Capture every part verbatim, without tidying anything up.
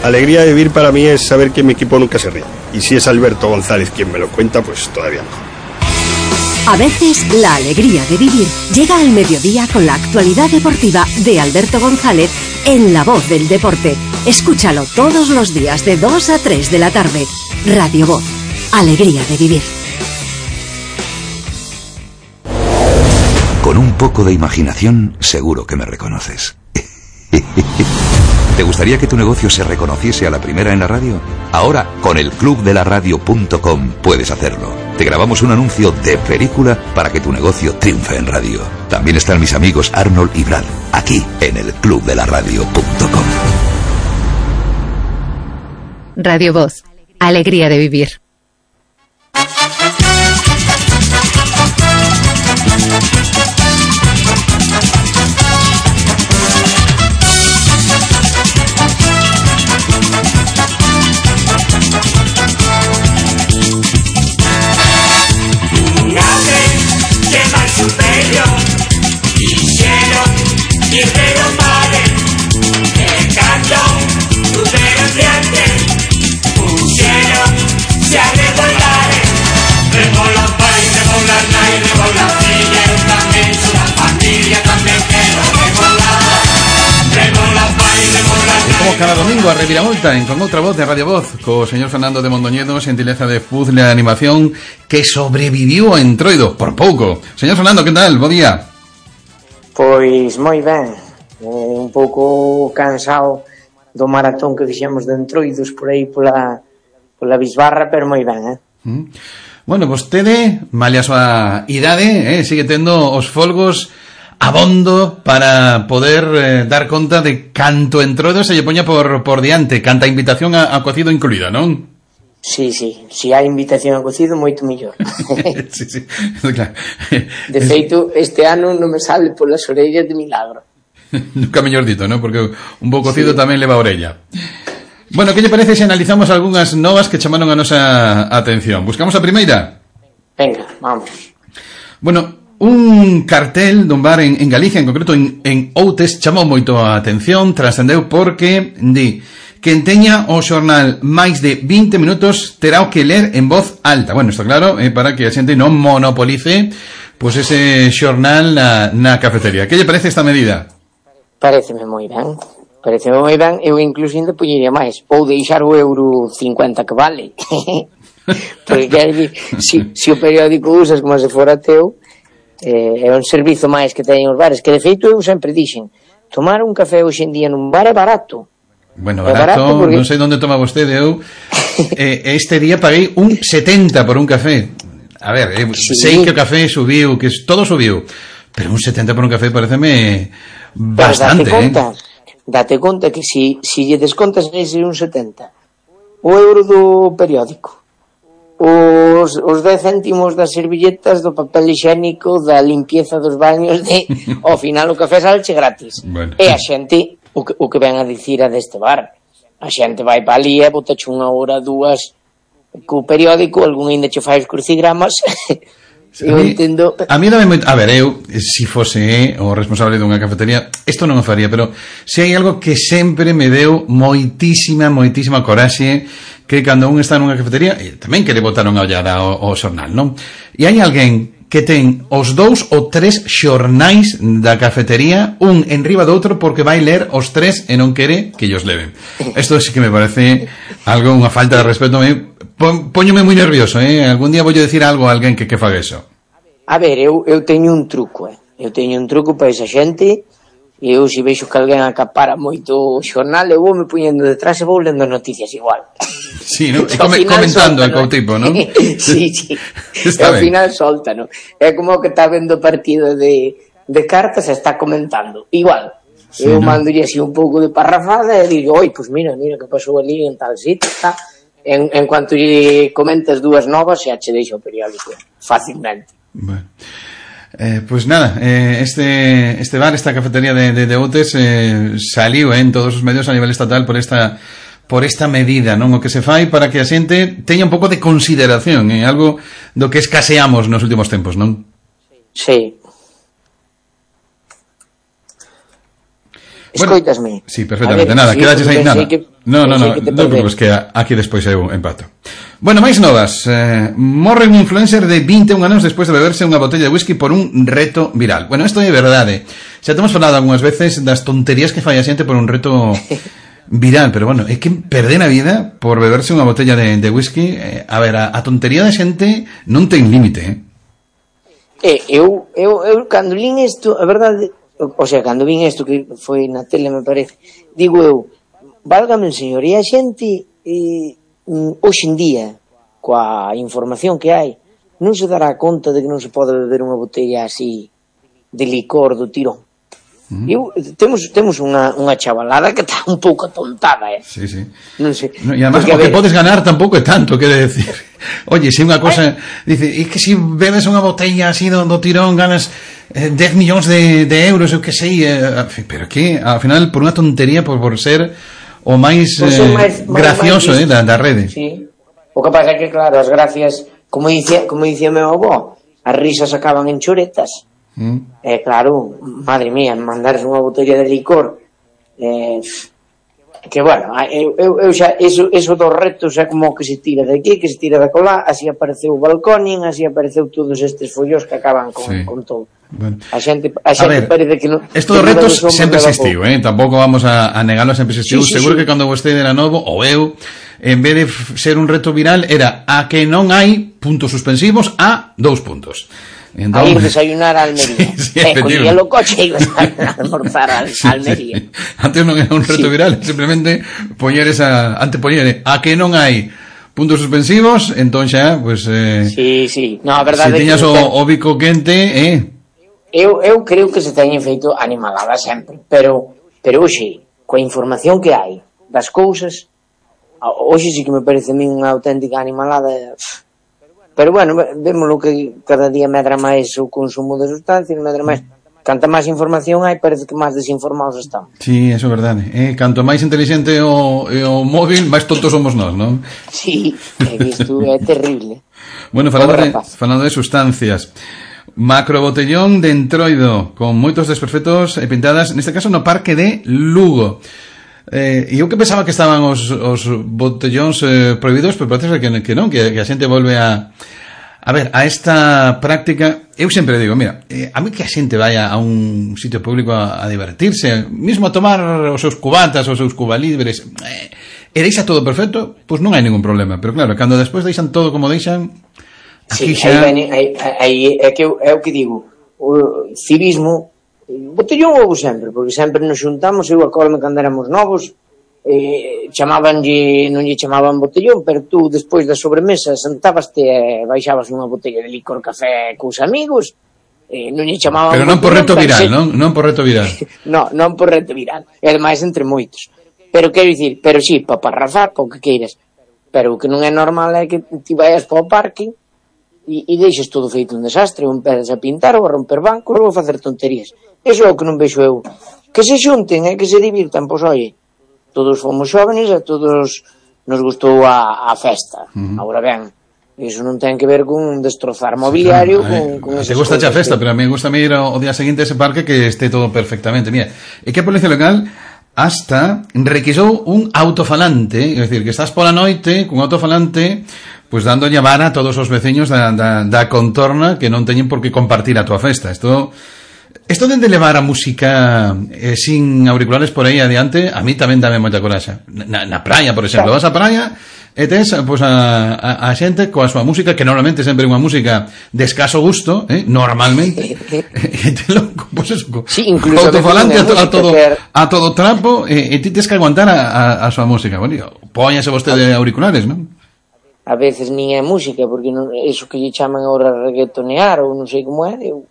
Alegría de vivir para mí es saber que mi equipo nunca se ríe. Y si es Alberto González quien me lo cuenta, pues todavía mejor. A veces, la alegría de vivir llega al mediodía con la actualidad deportiva de Alberto González en La Voz del Deporte. Escúchalo todos los días de dos a tres de la tarde. Radio Voz. Alegría de vivir. Con un poco de imaginación, seguro que me reconoces. ¿Te gustaría que tu negocio se reconociese a la primera en la radio? Ahora, con el club de la radio punto com puedes hacerlo. Te grabamos un anuncio de película para que tu negocio triunfe en radio. También están mis amigos Arnold y Brad, aquí, en el club de la radio punto com. Radio Voz. Alegría de vivir. Cada domingo a Reviravolta en Con Outra Voz de Radio Voz co señor Fernando de Mondoñedo, xentileza de puzzle de animación que sobreviviu a Entroido por pouco. Señor Fernando, que tal? Bo día. Pois moi ben, eh, un pouco cansado do maratón que fixemos de Entroidos por aí pola, pola Bisbarra, pero moi ben, eh? Mm. Bueno, vostede, malia a súa idade, eh, sigue tendo os folgos abondo para poder eh, dar conta de canto Entroido se lle poña por, por diante, canta invitación a, a cocido incluída, non? Sí, sí, si hai invitación a cocido, moito mellor. Sí, sí, claro. De feito, este ano non me sale polas orellas de milagro. Nunca mellor dito, non? Porque un bo cocido sí. Tamén leva a orella. Bueno, que lle parece se analizamos algunhas novas que chamaron a nosa atención? Buscamos a primeira? Venga, vamos. Bueno, un cartel dun bar en, en Galicia, en concreto en, en Outes, chamou moito a atención, trascendeu porque di quen teña o xornal máis de vinte minutos terá o que ler en voz alta. Bueno, isto claro, eh, para que a xente non monopolice pues ese xornal na, na cafetería. Que lle parece esta medida? Pareceme moi ben. Pareceme moi ben. Eu incluso ainda poñería máis. Ou deixar o euro cincuenta que vale. Porque quer dizer, si, si o periódico usas como se fora teu, eh, é un servizo máis que teñen os bares, que de feito eu sempre dixen, tomar un café hoxe en día nun bar é barato. Bueno, barato, barato porque... non sei onde toma vostede, eu eh, este día paguei un setenta por un café. A ver, eh, sí. Sei que o café subiu, que todo subiu, pero un setenta por un café pareceme bastante, pero date conta, eh. Date conta que si, si lle descontas ese un setenta, o euro do periódico, os, os dez céntimos das servilletas, do papel higiénico, da limpieza dos baños, de, ao final o café salche gratis. Bueno. E a xente, o que, o que ven a dicir a deste bar, a xente vai pa ali e botache unha hora, dúas, co periódico, algún ainda che fai os crucigramas. Eu a mí, entendo. A mí dame moito, a ver, eu si fose eh, o responsable dunha cafetería, isto non o faría, pero se hai algo que sempre me deu moitísima, moitísima coraxe, que cando un está nunha cafetería, e tamén quere botar unha ollada ao, ao xornal, non? E hai alguén que ten os dous ou tres xornais da cafetería, un enriba do outro, porque vai ler os tres e non quere que ellos leven. Isto sí que me parece algo, unha falta de respeto. Me Póñome moi nervioso, eh? Algún día vou decir algo a alguén que, que faga eso. A ver, eu, eu teño un truco, eh? Eu teño un truco para esa xente, e eu se veixo que alguén acapara moito o xornal, eu vou me poñendo detrás e vou lendo noticias igual. Sí, ¿no? E come, comentando el coutipo, ¿no? Sí, sí. E ao final solta, ¿no? É como que está vendo partido de, de cartas e está comentando. Igual. Sí, eu ¿no? Mandolle así un pouco de parrafada e digo, oi, pues mira, mira que pasou ali en tal sitio, está... En, en cuanto lle comentes dúas novas xa che deixo o periódico fácilmente. Bueno. Eh, pues nada, eh, este este bar, esta cafetería de, de, de Outes eh, saliu eh, en todos os medios a nivel estatal por esta por esta medida, non? O que se fai para que a xente teña un pouco de consideración, eh, algo do que escaseamos nos últimos tempos, non? Sí. Bueno, escoitasme. sí, perfectamente. Ver, nada, sí, quedaches aí, nada. Que... No, no, no, non te preocupes que aquí despois eu empato. Bueno, máis novas. eh, Morre un influencer de vinte e un anos despois de beberse unha botella de whisky por un reto viral. Bueno, isto é verdade. Xa temos falado algunhas veces das tonterías que fai a xente por un reto viral, pero bueno, é que perder a vida por beberse unha botella de, de whisky. eh, A ver, a, a tontería da xente non ten límite, eh? Eh, eu, eu, eu, cando lín isto, a verdade, o sea, cando vin isto que foi na tele, me parece, digo eu, válgame el señor, e a xente eh, hoxe en día, coa información que hai, non se dará conta de que non se pode beber unha botella así de licor do tirón. Mm. Eu, temos temos unha, unha chavalada que está un pouco atontada, eh? Sí, sí. Non sei. No, e además, o que podes ganar tampouco é tanto, quere decir. Oye, se unha cosa, dice, é que se bebes unha botella así do, do tirón ganas eh, dez millóns de, de euros, eu que sei, eh, pero que, ao final, por unha tontería, por, por ser o máis, eh, máis gracioso máis, eh, da, da rede. Sí. O que pasa é que, claro, as gracias, como dicía, como dicía meu avó, as risas acaban en choretas. Mm. Eh, claro, madre mía, mandarse unha botella de licor, eh, que bueno, eu, eu, eu xa, eso, eso dos retos é como que se tira de aquí, que se tira de colá, así apareceu o balconing, así apareceu todos estes follos que acaban con, sí. con todo. Bueno. A xente, a xente a ver, parece que non. Estos retos sempre existiu, eh? Tampouco vamos a, a negalo, sempre existiu. Sí, sí, seguro sí. Que cando vostede era novo, ou eu, en vez de ser un reto viral, era a que non hai puntos suspensivos a dous puntos. Entón, a ir desayunar a Almería. Sí, sí, eh, collía o coche e ibas a almorzar a sí, Almería. Sí, sí. Antes non era un reto sí. viral, simplemente poñer esa, antes poñer a que non hai puntos suspensivos, entón xa, pues eh, sí, sí. No, a verdade se tiñas o, o bico quente, eh. Eu eu creo que se teñen feito animalada sempre, pero pero hoxe, coa información que hai das cousas, hoxe sí que me parece a mí unha auténtica animalada. Pero bueno, vémoslo que cada día medra máis o consumo de sustancias, medra máis. Canta máis información hai, parece que máis desinformados estamos. Sí, eso é verdade. Eh, canto máis inteligente o, o móvil, máis tontos somos nós, non? Sí, isto é terrible. Bueno, falando de, falando de sustancias, macrobotellón de entroido con moitos desperfectos e pintadas, neste caso no parque de Lugo. Eh, e eu que pensaba que estaban os, os botellóns eh, prohibidos, pero parece que, que non, que, que a xente volve a a ver, a esta práctica. Eu sempre digo, mira, eh, a mí que a xente vaya a un sitio público a, a divertirse, mesmo a tomar os seus cubatas, os seus cubalibres, eh, e deixa todo perfecto, pois non hai ningún problema, pero claro, cando despois deixan todo como deixan, aquí sí, xa... aí, aí, aí é que eu, é o que digo, o civismo. Botellón houve sempre, porque sempre nos xuntamos, eu acordo cando éramos novos, eh, chamabanlle, non lle chamaban botellón, pero tú despois da sobremesa sentabaste e baixabas unha botella de licor café cos amigos, eh, non lle chamaban pero non por reto viral, se... non? Non por reto viral. non, non por reto viral, e ademais entre moitos. Pero quero dicir, pero sí, para parrafar, para o que queiras, pero o que non é normal é que ti vayas para o parque e, e deixes todo feito un desastre, ou empezas a pintar ou a romper bancos ou a facer tonterías. Iso é o que non vexo eu. Que se xunten e que se divirtan, pois oye, todos fomos xóvenes e todos nos gustou a, a festa. Uh-huh. Agora ben, iso non ten que ver con destrozar mobiliario, sí, con, con esas te gusta xa festa, que... pero a mí gusta ir o día seguinte a ese parque que este todo perfectamente. Mira, é que a Policía Local hasta requisou un autofalante, é dicir, que estás pola noite cun autofalante pois pues dándolle vara a todos os veciños da, da, da contorna que non teñen por que compartir a tua festa. Isto Esto de levar a música eh, sin auriculares por aí adiante, a mí tamén dame moita coraxa. Na, na praia, por exemplo, vas á praia e tes pues, a, a, a xente coa súa música, que normalmente sempre é unha música de escaso gusto, eh, normalmente, e te lo, pues eso, sí, incluso autofalante a, to, a, todo, a todo trapo, e, e ti tes que aguantar a, a, a súa música. Bueno, póñase vostede auriculares, non? A veces nin é música, porque non, eso que lle chaman ahora reggaetonear, ou non sei como é, eu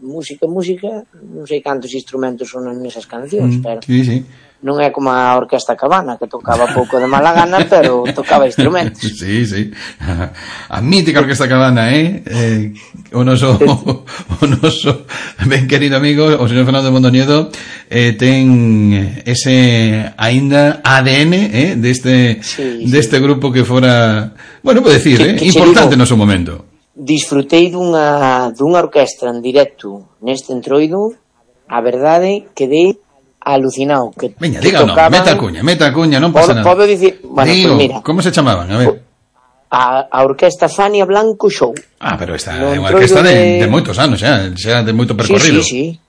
música, música, non sei cantos instrumentos son nesas cancións, mm, pero sí, sí. Non é como a Orquesta Cabana, que tocaba pouco de mala gana, pero tocaba instrumentos. Sí, sí. A mítica Orquesta Cabana, eh? eh o noso o noso ben querido amigo, o señor Fernando Mondoñedo, eh, ten ese aínda A D N, eh, deste sí, deste sí. grupo que fora, bueno, pode decir, que, eh, que importante no seu momento. Disfrutei dunha, dunha orquestra en directo neste entroido, a verdade, quedei alucinado que, Veña, que diga, tocaban... no, meta a cuña, meta a cuña, non pasa Podo, nada. podo dicir, bueno, Digo, pues mira, como se chamaban? A ver. a, a orquesta Fania Blanco Show. Ah, pero esta No é unha entroido orquesta de, de- de moitos anos, xa, xa de moito percorrido. Sí, sí, sí.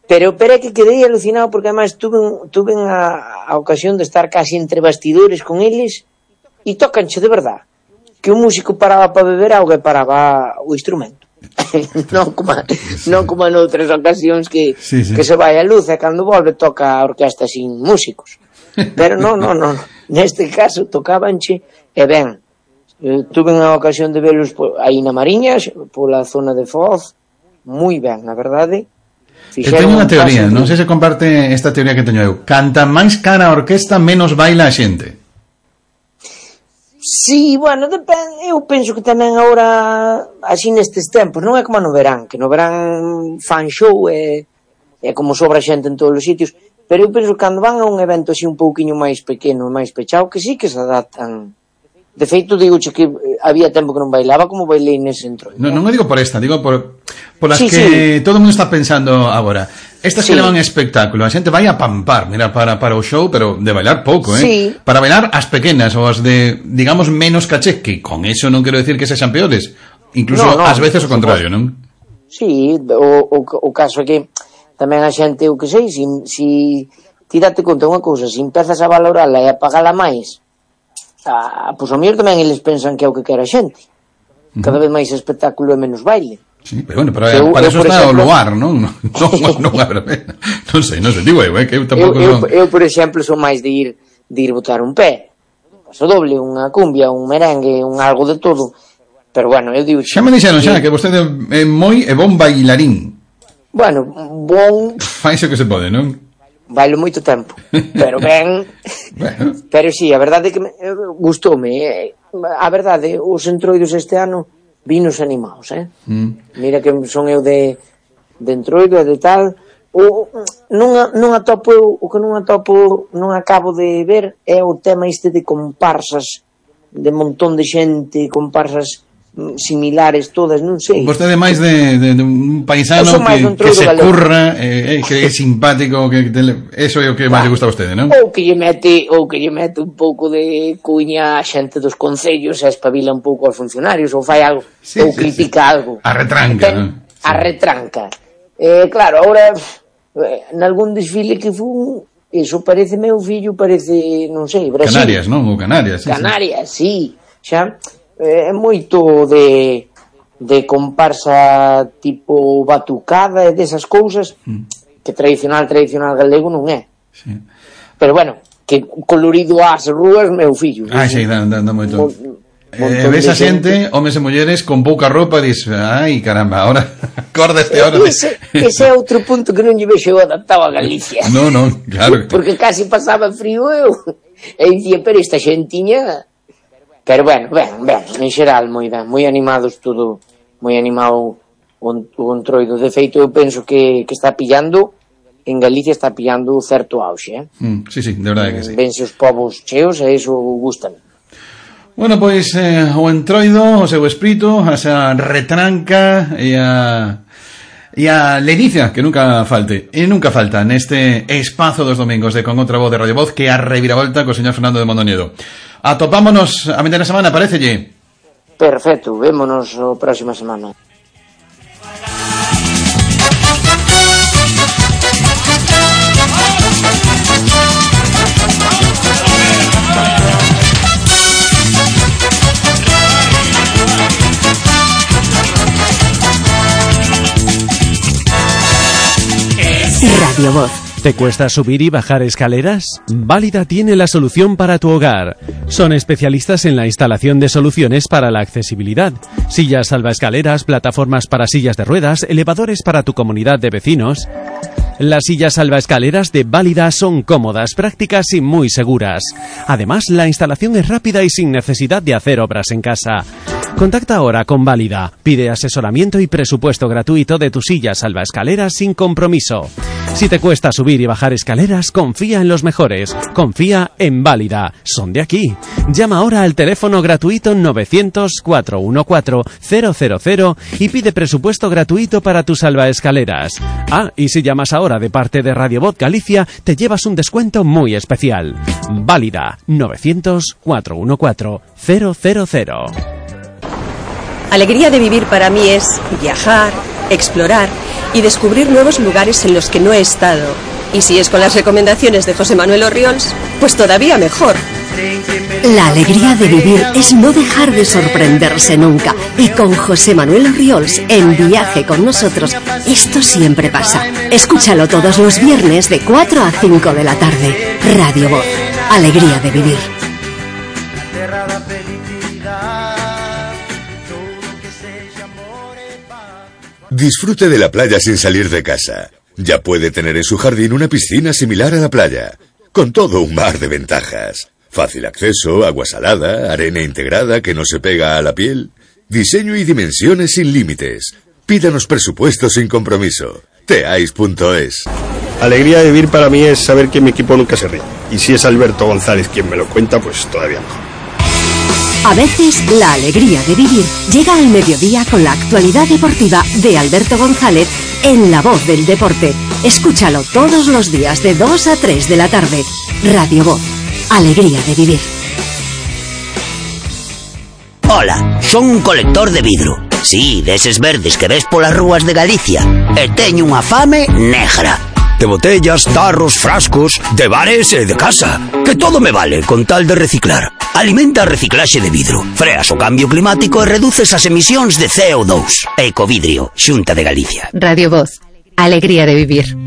Pero, pero é que quedei alucinado porque además tuve, tuve a, a ocasión de estar casi entre bastidores con eles e tócanche de verdad que un músico paraba para beber auga e paraba o instrumento. non como non como en outras ocasións que, Sí, sí. que se vai a luz e cando volve toca a orquesta sin músicos. Pero non, non, non. Neste caso tocabanche e ben. Eh, tuve unha ocasión de velos po, aí na Mariña, pola zona de Foz, moi ben, na verdade. Eu teño unha teoría, non sei se comparte esta teoría que teño eu. Canta máis cara a orquesta, menos baila a xente. Sí, bueno, depende, eu penso que tamén agora, así nestes tempos, non é como no verán, que no verán fan show e, e como sobra xente en todos os sitios, pero eu penso que cando van a un evento así un pouquiño máis pequeno, máis pechado, que sí que se adaptan. De feito, digoche que había tempo que non bailaba como bailei nese entro. Non, non o digo por esta, digo por, por as Sí, que sí. todo o mundo está pensando agora. Estas Sí. que levan espectáculo, a xente vai a pampar, mira, para, para o show, pero de bailar pouco, eh? Sí. Para bailar as pequenas, ou as de, digamos, menos caché, que con eso non quero decir que sexan peores. Incluso No, no, ás veces o por contrario, non? Sí, o, o, o caso é que tamén a xente, o que sei, si, si ti date conta unha cousa, se empezas a valorala e a pagala máis, a, pois ao mellor tamén eles pensan que é o que quere a xente. Cada vez máis espectáculo e menos baile. Sí, pero bueno, pero Eu- para eu, eso por está exemplo- o lugar, non? Non, non, non, non, non sei, non sei, digo eu, eh, que eu Eu, tampouco eu, non... eu, por exemplo, son máis de ir de ir botar un pé. Paso doble, unha cumbia, un merengue, un algo de todo. Pero bueno, eu digo... Xa me dixeron xa que vostede é moi e bon bailarín. Bueno, bon, Fai o que se pode, non? bailo moito tempo. Pero ben... Bueno, Pero sí, a verdade é que me, eh, gustoume. Eh, a verdade, os entroidos este ano vinos animados, eh? mm. Mira que son eu de, de entroido e de tal. O, non, a- non atopo eu, o que non atopo, non acabo de ver é o tema este de comparsas, de montón de xente, comparsas mm, similares todas, non sei. Vostede é máis de, de, de un paisano Eu son máis que, dun que troido se galego. curra, eh, eh, que é simpático, que, que tele... eso é o que máis lle gusta a vostede, non? Ou que lle mete, ou que lle mete un pouco de cuña a xente dos concellos e espabila un pouco aos funcionarios, ou fai algo, Sí, ou sí, critica algo. A retranca, Ten- non? A retranca. Eh, claro, ahora, eh, nalgún desfile que fun, eso parece meu fillo, parece, non sei, Brasil. Canarias, non? Ou Canarias, sí, Canarias, sí. Xa, eh, é moito de de comparsa tipo batucada e desas cousas que tradicional, tradicional galego non é. sí. Pero bueno, que colorido ás rúas meu fillo. Ah, sí, dá, dá, dá moito. Mo- Eh, montón ves de a xente, homes e mulleres, con pouca roupa, dis, ai, caramba, ahora, acorda este hora de... Ese, ese é outro punto que non lle vexo eu adaptado a Galicia. No, no, claro. Porque casi pasaba frío eu. E dicía, pero esta xentiña... Pero bueno, ben, ben, en xeral, moi ben, moi animados todo, moi animado o, o entroido. De feito, eu penso que, que está pillando, en Galicia está pillando certo auxe, eh? Mm, sí, sí, de verdade que sí. Vense os povos cheos e iso gustan. Bueno, pois eh, o entroido, o seu espírito, a esa retranca e a e a ledicia que nunca falte e nunca falta neste espazo dos domingos de Con Outra Voz de Radio Voz, que a reviravolta co señor Fernando de Mondoñedo. Atopámonos a media semana, parecelle? Perfecto, vémonos a próxima semana. Radio Voz. ¿Te cuesta subir y bajar escaleras? Válida tiene la solución para tu hogar. Son especialistas en la instalación de soluciones para la accesibilidad. Sillas salvaescaleras, plataformas para sillas de ruedas, elevadores para tu comunidad de vecinos. Las sillas salvaescaleras de Válida son cómodas, prácticas y muy seguras. Además, la instalación es rápida y sin necesidad de hacer obras en casa. Contacta ahora con Válida. Pide asesoramiento y presupuesto gratuito de tu silla salvaescaleras sin compromiso. Si te cuesta subir y bajar escaleras, confía en los mejores. Confía en Válida. Son de aquí. Llama ahora al teléfono gratuito novecientos, cuatrocientos catorce, cero cero cero y pide presupuesto gratuito para tu salvaescaleras. Ah, y si llamas ahora de parte de Radio Voz Galicia, te llevas un descuento muy especial. Válida. novecientos, cuatrocientos catorce, cero cero cero. Alegría de vivir para mí es viajar, explorar y descubrir nuevos lugares en los que no he estado. Y si es con las recomendaciones de José Manuel Orriols, pues todavía mejor. La alegría de vivir es no dejar de sorprenderse nunca. Y con José Manuel Orriols, en Viaje con nosotros, esto siempre pasa. Escúchalo todos los viernes de cuatro a cinco de la tarde. Radio Voz. Alegría de vivir. Disfrute de la playa sin salir de casa. Ya puede tener en su jardín una piscina similar a la playa, con todo un mar de ventajas. Fácil acceso, agua salada, arena integrada que no se pega a la piel. Diseño y dimensiones sin límites. Pídanos presupuesto sin compromiso. teais punto es. Alegría de vivir para mí es saber que mi equipo nunca se ríe. Y si es Alberto González quien me lo cuenta, pues todavía mejor. A veces, la alegría de vivir llega al mediodía con la actualidad deportiva de Alberto González en La Voz del Deporte. Escúchalo todos los días de dos a tres de la tarde. Radio Voz. Alegría de vivir. Hola, son un colector de vidro. Sí, deses verdes que ves polas rúas de Galicia. E teño unha fame negra. De botellas, tarros, frascos, de bares e de casa. Que todo me vale con tal de reciclar. Alimenta a reciclaxe de vidro. Freas o cambio climático e reduces as emisións de C O dos. Ecovidrio, Xunta de Galicia. Radio Voz. Alegría de vivir.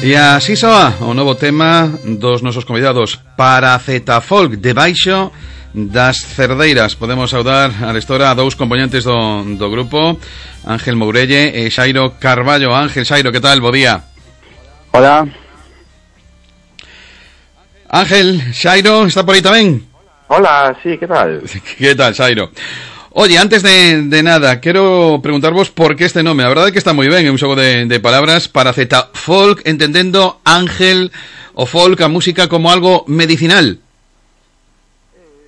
E así soa o novo tema dos nosos convidados Paracetafolk, debaixo das cerdeiras. Podemos saudar a lestora a dous componentes do, do grupo, Ángel Mourelle e Xairo Carballo. Ángel, Xairo, que tal? Bo día. Hola. Ángel, Xairo, está por aí tamén? Hola, sí, que tal? Que tal, Xairo? Oye, antes de, de nada, quero preguntarvos por que este nome. A verdade é que está moi ben, é un xogo de, de palabras. Paracetafolk, entendendo, Ángel, o folk, a música como algo medicinal.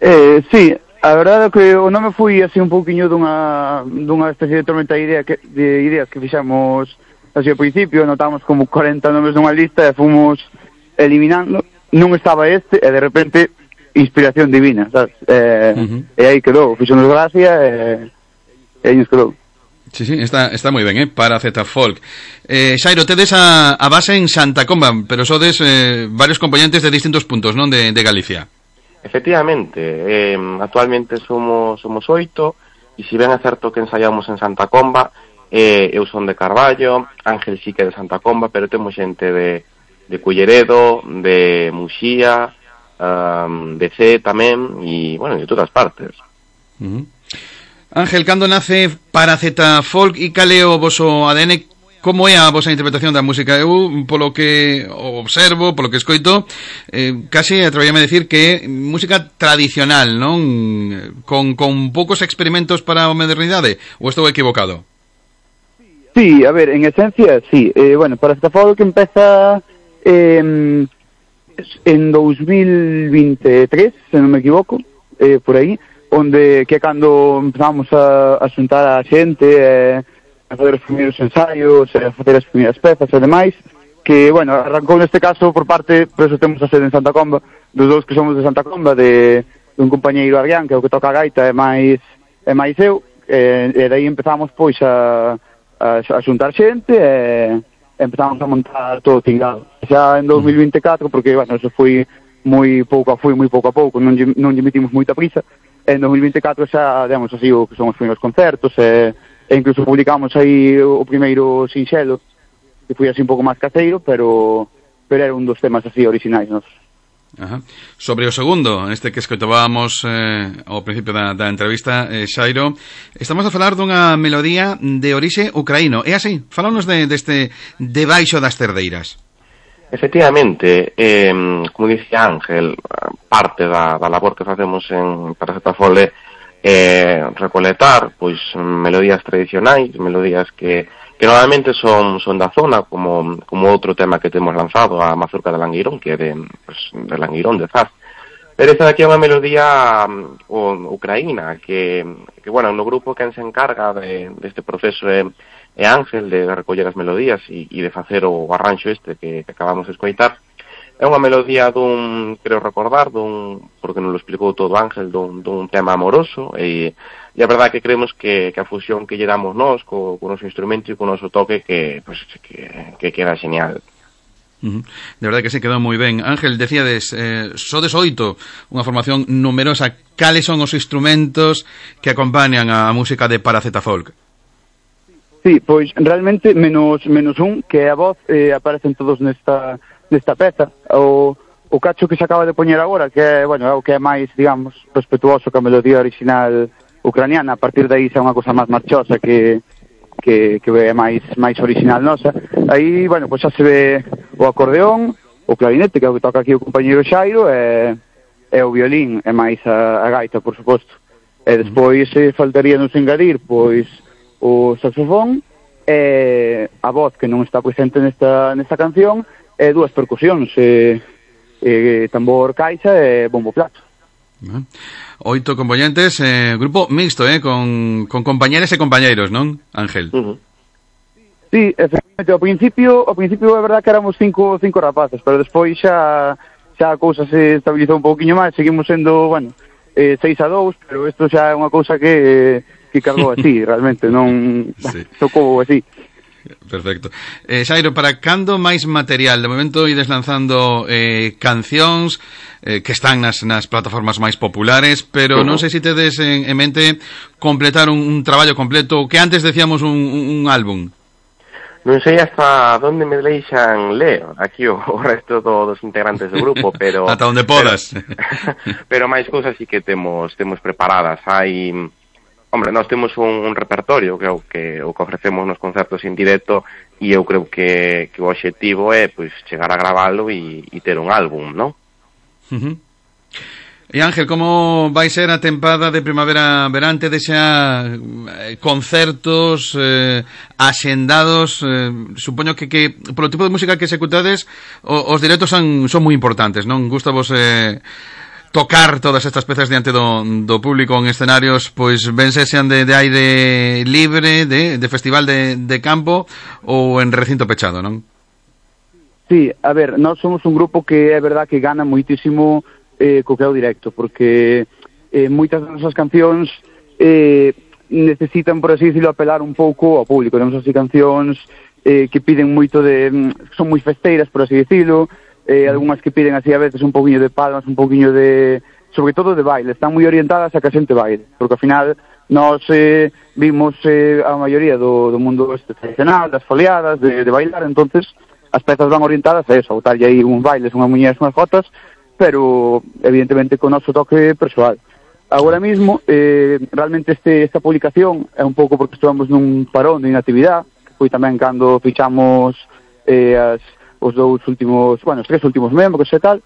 Eh, sí, a verdade é que o nome foi así un pouquiño dunha, dunha especie de tormenta de, idea que, de ideas que fixamos así ao principio. Notamos como cuarenta nomes nunha lista e fomos eliminando. Non estaba este e de repente inspiración divina, sabes? Eh, uh-huh. E aí quedou, fixonos gracia e, e aí nos quedou. Sí, sí, está, está moi ben, eh? Paracetafolk. Eh, Xairo, tedes a, a base en Santa Comba, pero sodes eh, varios componentes de distintos puntos, non? De, de Galicia. Efectivamente, eh, actualmente somos somos oito, e si ben é certo que ensaiamos en Santa Comba, eh, eu son de Carballo, Ángel sí que é de Santa Comba, pero temos xente de, de Culleredo, de Muxía, Um, de C tamén, e, bueno, de todas partes. Uh-huh. Ángel, cando nace Paracetafolk e cal é o voso A D N? Como é a vosa interpretación da música? Eu, polo que observo, polo que escoito, eh, case atreveríame a decir que é música tradicional, non? Con, con poucos experimentos para a modernidade? Ou estou equivocado? Sí, a ver, en esencia, sí. Eh, bueno, Paracetafolk empeza eh, en dos mil veintitrés, se non me equivoco, eh, por aí, onde que é cando empezamos a, a xuntar a xente, eh, a fazer os primeiros ensaios, a facer as primeiras pezas e demais, que, bueno, arrancou neste caso por parte, por eso temos a sede en Santa Comba, dos dous que somos de Santa Comba, de, de un compañeiro Adrián, que é o que toca a gaita, e máis, e máis eu, e, e daí empezamos, pois, a, a, a xuntar xente, e empezamos a montar todo o tingado. Xa en dos mil veinticuatro, porque, bueno, eso foi moi pouco a foi, moi pouco a pouco, non lle, non lle metimos moita prisa. En dos mil veinticuatro xa, digamos así, o que son os primeiros concertos, e, e incluso publicamos aí o primeiro sinxelo, que foi así un pouco máis caseiro, pero pero era un dos temas así originais nosos. Ajá. Sobre o segundo, este que escoitábamos eh, ao principio da, da entrevista, eh, Xairo, estamos a falar dunha melodía de orixe ucraíno. É así? Fálanos de, deste Debaixo das Cerdeiras. Efectivamente, eh, como dicía Ángel, parte da, da labor que facemos en Paracetafolk é eh, recoletar pois melodías tradicionais, melodías que, que normalmente son, son da zona, como, como outro tema que temos lanzado, a Mazurca de Langueirón, que é de, pues, de Langueirón, de Zaz. Pero esta aquí é unha melodía um, ucraína, que, que, bueno, no grupo quen se encarga de, deste proceso é e Ángel, de recoller as melodías e, e de facer o arranxo este que, que acabamos de escoitar. É unha melodía dun, creo recordar, dun, porque non lo explicou todo Ángel, dun, dun tema amoroso, e, e a verdade que creemos que, que a fusión que lle damos nós co, co noso instrumento e co noso toque que, pues, que, que queda genial. Uh-huh. De verdade que se quedou moi ben. Ángel, decíades, eh, sodes oito, unha formación numerosa. Cales son os instrumentos que acompañan a música de Paracetafolk? Sí, pois realmente menos menos un, que a voz, eh, aparecen todos nesta nesta peza. O, o cacho que se acaba de poñer agora, que é, bueno, é o que é máis, digamos, respetuoso que a melodía original ucraniana. A partir de aí xa é unha cosa máis marchosa que que, que é máis máis original nosa. Aí, bueno, pois xa se ve o acordeón, o clarinete, que é o que toca aquí o compañeiro Xairo, e, e o violín, e máis a, a gaita, por suposto. E despois eh, faltaría nos engadir, pois, o saxofón, e a voz que non está presente nesta, nesta canción, e dúas percusións, e, e tambor caixa e bombo plato. Uh-huh. Oito componentes, eh, grupo mixto, eh, con, con compañeros e compañeiros, non, Ángel? Uh-huh. Sí, efectivamente, ao principio, ao principio é verdad que éramos cinco, cinco rapaces, pero despois xa, xa a cousa se estabilizou un pouquiño máis, seguimos sendo, bueno, eh, seis a dous, pero isto xa é unha cousa que... Eh, que cargou así, realmente, non sí. Tocou así. Perfecto. Eh, Xairo, para cando máis material? De momento ides lanzando eh, cancións eh, que están nas, nas plataformas máis populares, pero uh-huh. non sei se tedes en, en mente completar un, un traballo completo, que antes decíamos un, un, un álbum. Non sei hasta onde me deixan ler aquí o, o resto do, dos integrantes do grupo, pero... Ata onde podas. Pero, pero máis cousas sí que temos, temos preparadas. Hai... Hombre, nós temos un, un repertorio que é o que, o que ofrecemos nos concertos en directo, e eu creo que, que o obxectivo é pois, chegar a gravalo e, e ter un álbum, non? Uh-huh. E Ángel, como vai ser a tempada de primavera-verán? Tedes xa eh, concertos eh, axendados? Eh, supoño que, que polo tipo de música que executades, o, os directos son, son moi importantes, non? Gustavos... Eh, tocar todas estas pezas diante do, do público en escenarios, pois ben sean de, de aire libre, de, de festival de, de campo ou en recinto pechado, non? Sí, a ver, nós somos un grupo que é verdad que gana moitísimo eh, co que é o directo, porque eh, moitas das nosas cancións eh, necesitan, por así decirlo, apelar un pouco ao público. Temos así cancións eh, que piden moito de... son moi festeiras, por así decirlo, Eh, algunhas que piden así a veces un poquinho de palmas, un poquinho de... sobre todo de baile, están moi orientadas a que a xente baile, porque ao final nós eh, vimos eh, a maioría do, do mundo este tradicional, das foliadas, de, de bailar, entonces as pezas van orientadas a eso, a botarlle aí uns bailes, unhas muñeras, unhas jotas, pero evidentemente con o noso toque persoal. agora mismo, eh, realmente este, esta publicación é un pouco porque estamos nun parón de inactividade, que foi tamén cando fichamos eh, as, os dous últimos, bueno, os tres últimos membros e tal,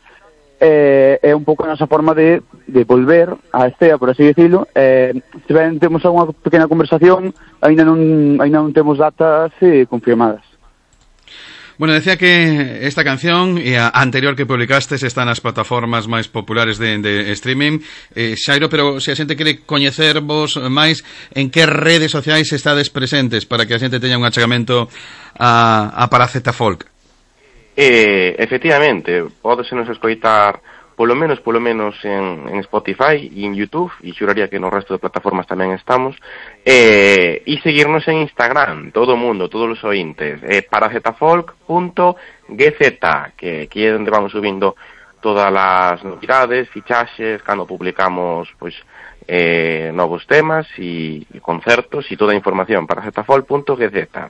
eh, é un pouco a nosa forma de, de volver a Estea, por así decirlo. Eh, se ben temos alguna pequena conversación, ainda non, ainda non temos datas eh, confirmadas. Bueno, decía que esta canción e a anterior que publicastes está nas plataformas máis populares de, de streaming, eh, Xairo, pero se a xente quere coñecervos máis, en que redes sociais estades presentes para que a xente teña un achegamento a, a Paraceta Folk? Eh, efectivamente, podese nos escoitar polo menos polo menos en, en Spotify e en YouTube, e xuraría que no resto de plataformas tamén estamos, eh, e seguirnos en Instagram, todo o mundo, todos os ointes, eh, paracetafolk punto g z, que aquí é onde vamos subindo todas as novidades, fichaxes, cando publicamos pois eh, novos temas e, e concertos e toda a información, paracetafolk punto g z.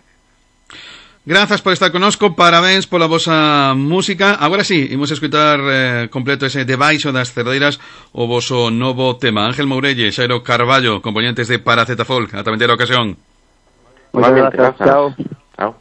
Grazas por estar connosco, parabéns pola vosa música. Agora sí, imos escutar eh, completo ese Debaixo das Cerdeiras, o voso novo tema. Ángel Mourelle, Xairo Carballo, componentes de Paraceta Folk. Ata vindeira ocasión. Muchas gracias, chao. Chao.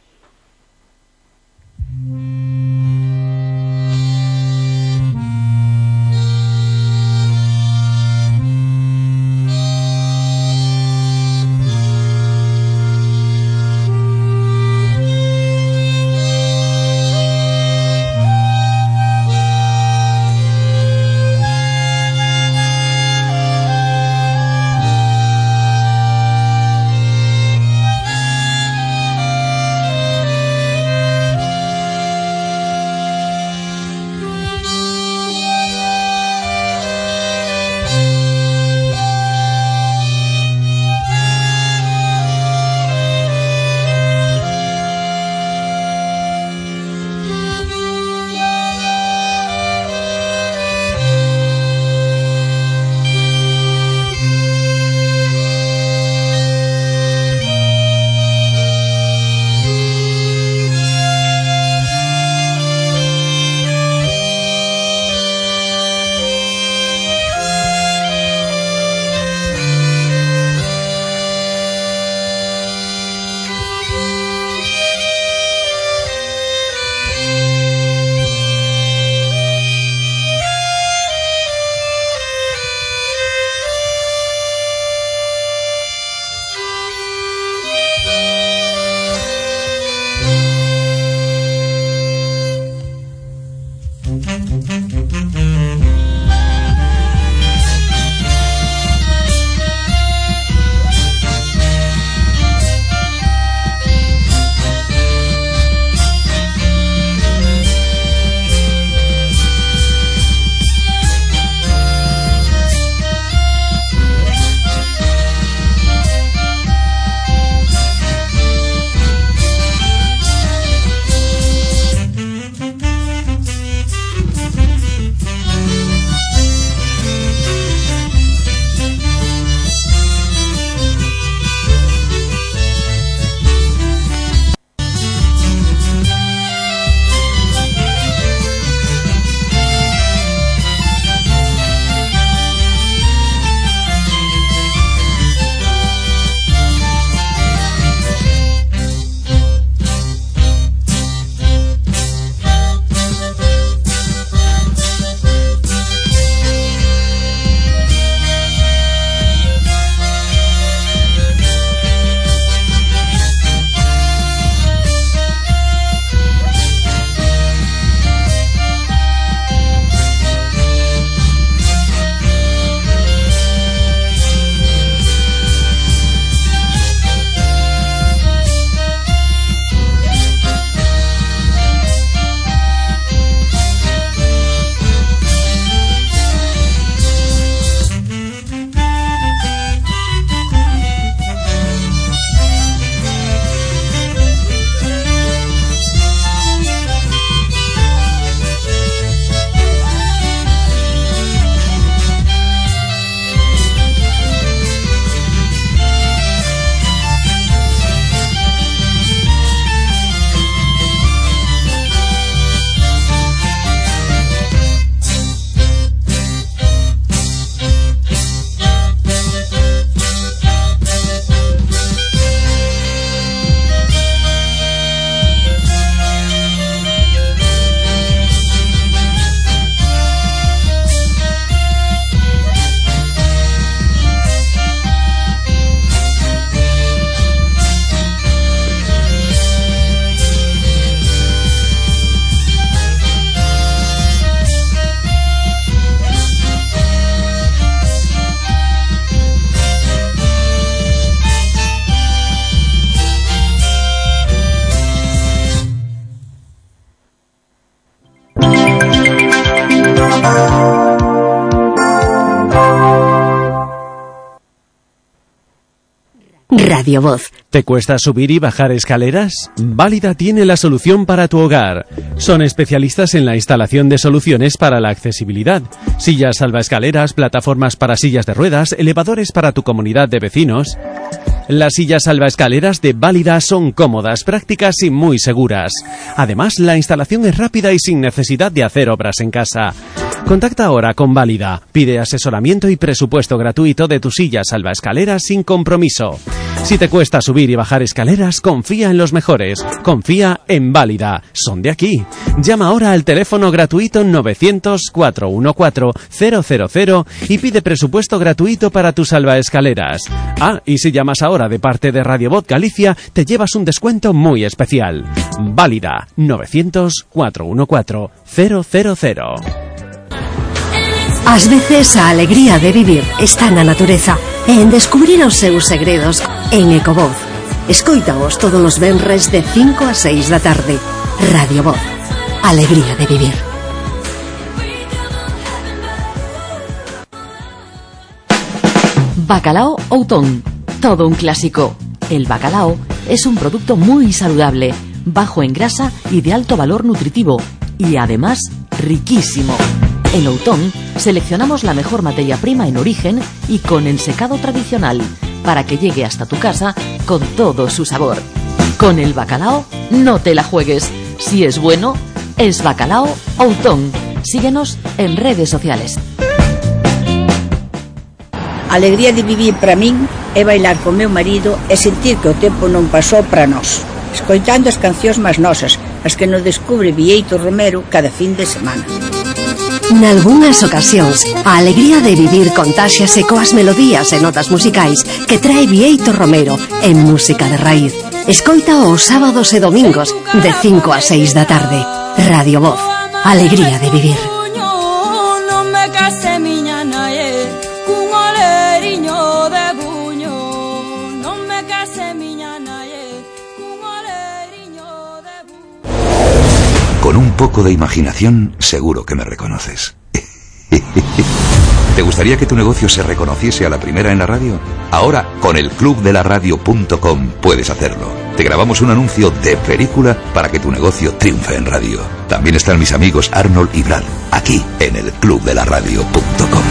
Radio Voz. ¿Te cuesta subir y bajar escaleras? Válida tiene la solución para tu hogar. Son especialistas en la instalación de soluciones para la accesibilidad. Sillas salvaescaleras, plataformas para sillas de ruedas, elevadores para tu comunidad de vecinos. Las sillas salvaescaleras de Válida son cómodas, prácticas y muy seguras. Además, la instalación es rápida y sin necesidad de hacer obras en casa. Contacta ahora con Válida. Pide asesoramiento y presupuesto gratuito de tu silla salvaescaleras sin compromiso. Si te cuesta subir y bajar escaleras, confía en los mejores. Confía en Válida. Son de aquí. Llama ahora al teléfono gratuito novecientos, cuatrocientos catorce, cero cero cero y pide presupuesto gratuito para tus salvaescaleras. Ah, y si llamas ahora de parte de Radio Voz Galicia, te llevas un descuento muy especial. Válida. novecientos, cuatrocientos catorce, cero cero cero. Ás veces a alegría de vivir está na natureza e en descubrir os seus segredos en Ecovoz. Escoítaos todos os venres de cinco a seis da tarde. Radio Voz. Alegría de vivir. Bacalao Outón. Todo un clásico. El bacalao es un producto muy saludable, bajo en grasa y de alto valor nutritivo, y además riquísimo. En Outón seleccionamos la mejor materia prima en origen y con ensecado tradicional para que llegue hasta tu casa con todo su sabor. Con el bacalao no te la juegues. Si es bueno, es Bacalao Outón. Síguenos en redes sociales. A alegría de vivir para min é bailar con meu marido e sentir que o tempo non pasou para nós, escoitando as cancións máis nosas, as que nos descubre Bieito Romero cada fin de semana. Nalgúnas ocasións, a alegría de vivir contáxiase coas melodías e notas musicais que trae Bieito Romero en música de raíz. Escoita os sábados e domingos de cinco a seis da tarde. Radio Voz. Alegría de vivir. Con un poco de imaginación, seguro que me reconoces. ¿Te gustaría que tu negocio se reconociese a la primera en la radio? Ahora, con el club de la radio punto com puedes hacerlo. Te grabamos un anuncio de película para que tu negocio triunfe en radio. También están mis amigos Arnold y Brad, aquí en el club de la radio punto com.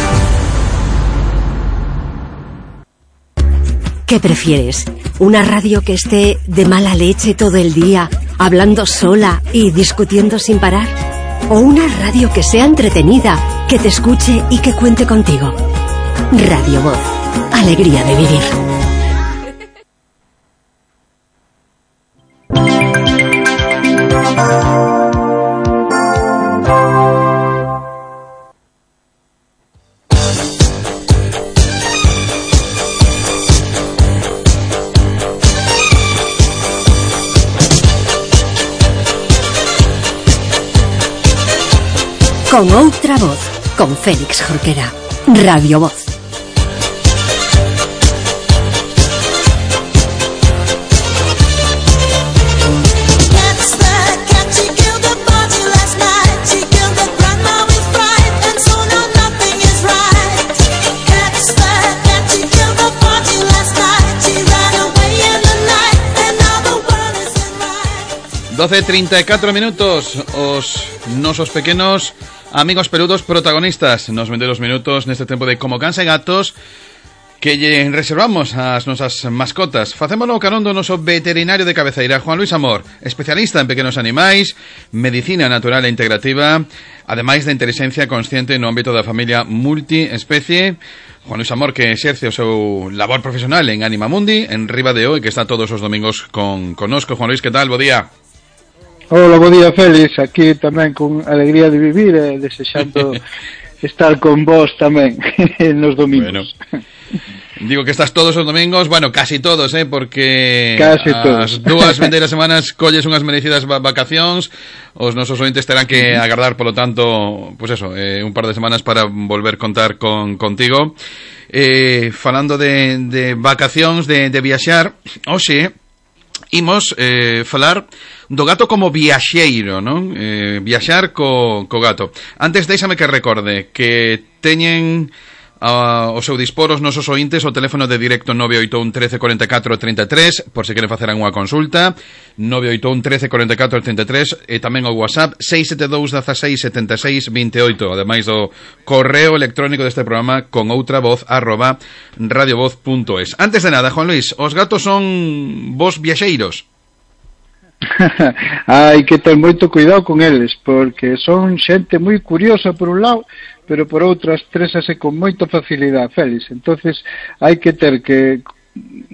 ¿Qué prefieres? ¿Una radio que esté de mala leche todo el día, hablando sola y discutiendo sin parar? ¿O una radio que sea entretenida, que te escuche y que cuente contigo? Radio Voz. Alegría de vivir. Con outra voz, con Félix Jorquera. Radio Voz. doce e trinta e catro minutos. Os nosos pequenos amigos peludos protagonistas nos vende os minutos neste tempo de Como Cans e Gatos que lle reservamos ás nosas mascotas. Facémolo carón do noso veterinario de cabeceira, Juan Luis Amor, especialista en pequenos animais, medicina natural e integrativa, ademais de inteligencia consciente no ámbito da familia multiespecie. Juan Luis Amor, que exerce o seu labor profesional en Anima Mundi, en Riba de O, e que está todos os domingos con conosco. Juan Luis, que tal? Bo día. Hola, bo día, Félix. Aquí tamén con alegría de vivir e desexando estar con vos tamén nos domingos. Bueno, digo que estás todos os domingos, bueno, casi todos, eh, porque casi as dúas vindeiras semanas colles unhas merecidas vacacións. Os nosos ointes terán que agardar, polo tanto, pues eso, eh, un par de semanas para volver contar con contigo. Eh, falando de, de vacacións, de, de viaxar, hoxe imos eh, falar do gato como viaxeiro, non? Eh, viaxar co, co gato. Antes, déixame que recorde que teñen Uh, o seu dispor os nosos ointes o teléfono de directo nove oito un trece cuarenta y cuatro treinta y tres por se queren facer unha consulta, nove oito un trece cuarenta y cuatro treinta y tres, e tamén o WhatsApp seis sete dous dezasseis setenta e seis vinte e oito, ademais do correo electrónico deste programa con outra voz arroba radiovoz punto es. Antes de nada, Juan Luis, os gatos son vos viaxeiros? Hai que ter moito cuidado con eles, porque son xente moi curiosa por un lado, pero por outro estrésase con moita facilidade, Félix. Entonces hai que ter que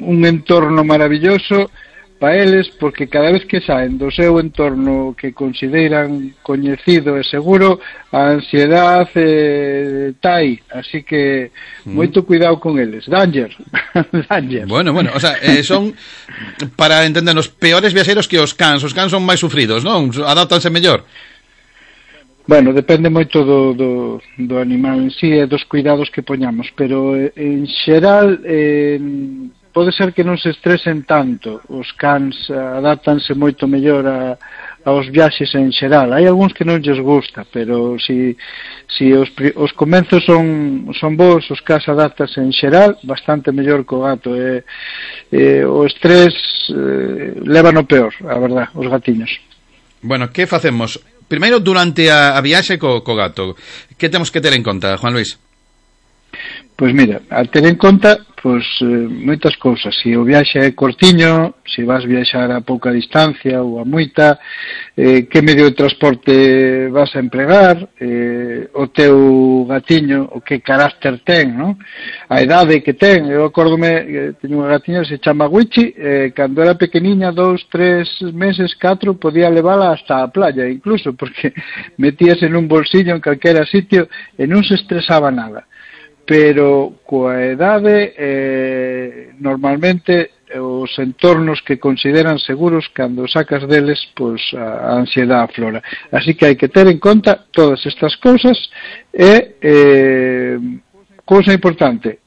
un entorno maravilloso para eles, porque cada vez que saen do seu entorno que consideran coñecido e seguro, a ansiedade eh, tai, así que moito cuidado con eles. Danger. Danger. Bueno, bueno, o sea, eh, son, para entender, os peores viaxeiros que os cans. Os cans son máis sufridos, non? Adáptanse mellor. Bueno, depende moito do, do, do animal en sí e dos cuidados que poñamos, pero eh, en xeral eh, pode ser que non se estresen tanto. Os cans adáptanse moito mellor a, aos viaxes en xeral. Hai algúns que non lles gusta, pero si, si os, os comenzos son, son bons, os cans adáptanse en xeral bastante mellor co gato. E, e, o estrés eh, leva no peor, a verdad, os gatiños. Bueno, que facemos? Primeiro, durante a, a viaxe co, co gato, que temos que ter en conta, Juan Luis? Pois mira, a ter en conta pois eh, moitas cousas. Se o viaxe é cortiño, se vas viaxar a pouca distancia ou a moita, eh, que medio de transporte vas a empregar, eh, o teu gatiño, o que carácter ten, non? A idade que ten. Eu acórdome que teño unha gatiña que se chama Wichi, eh, cando era pequeniña, dous, tres meses, catro, podía levala hasta a playa, incluso, porque metíase nun bolsillo en calquera sitio e non se estresaba nada. Pero coa edade eh, normalmente os entornos que consideran seguros, cando sacas deles, pois a ansiedade aflora. Así que hai que ter en conta todas estas cousas e eh, cousa importante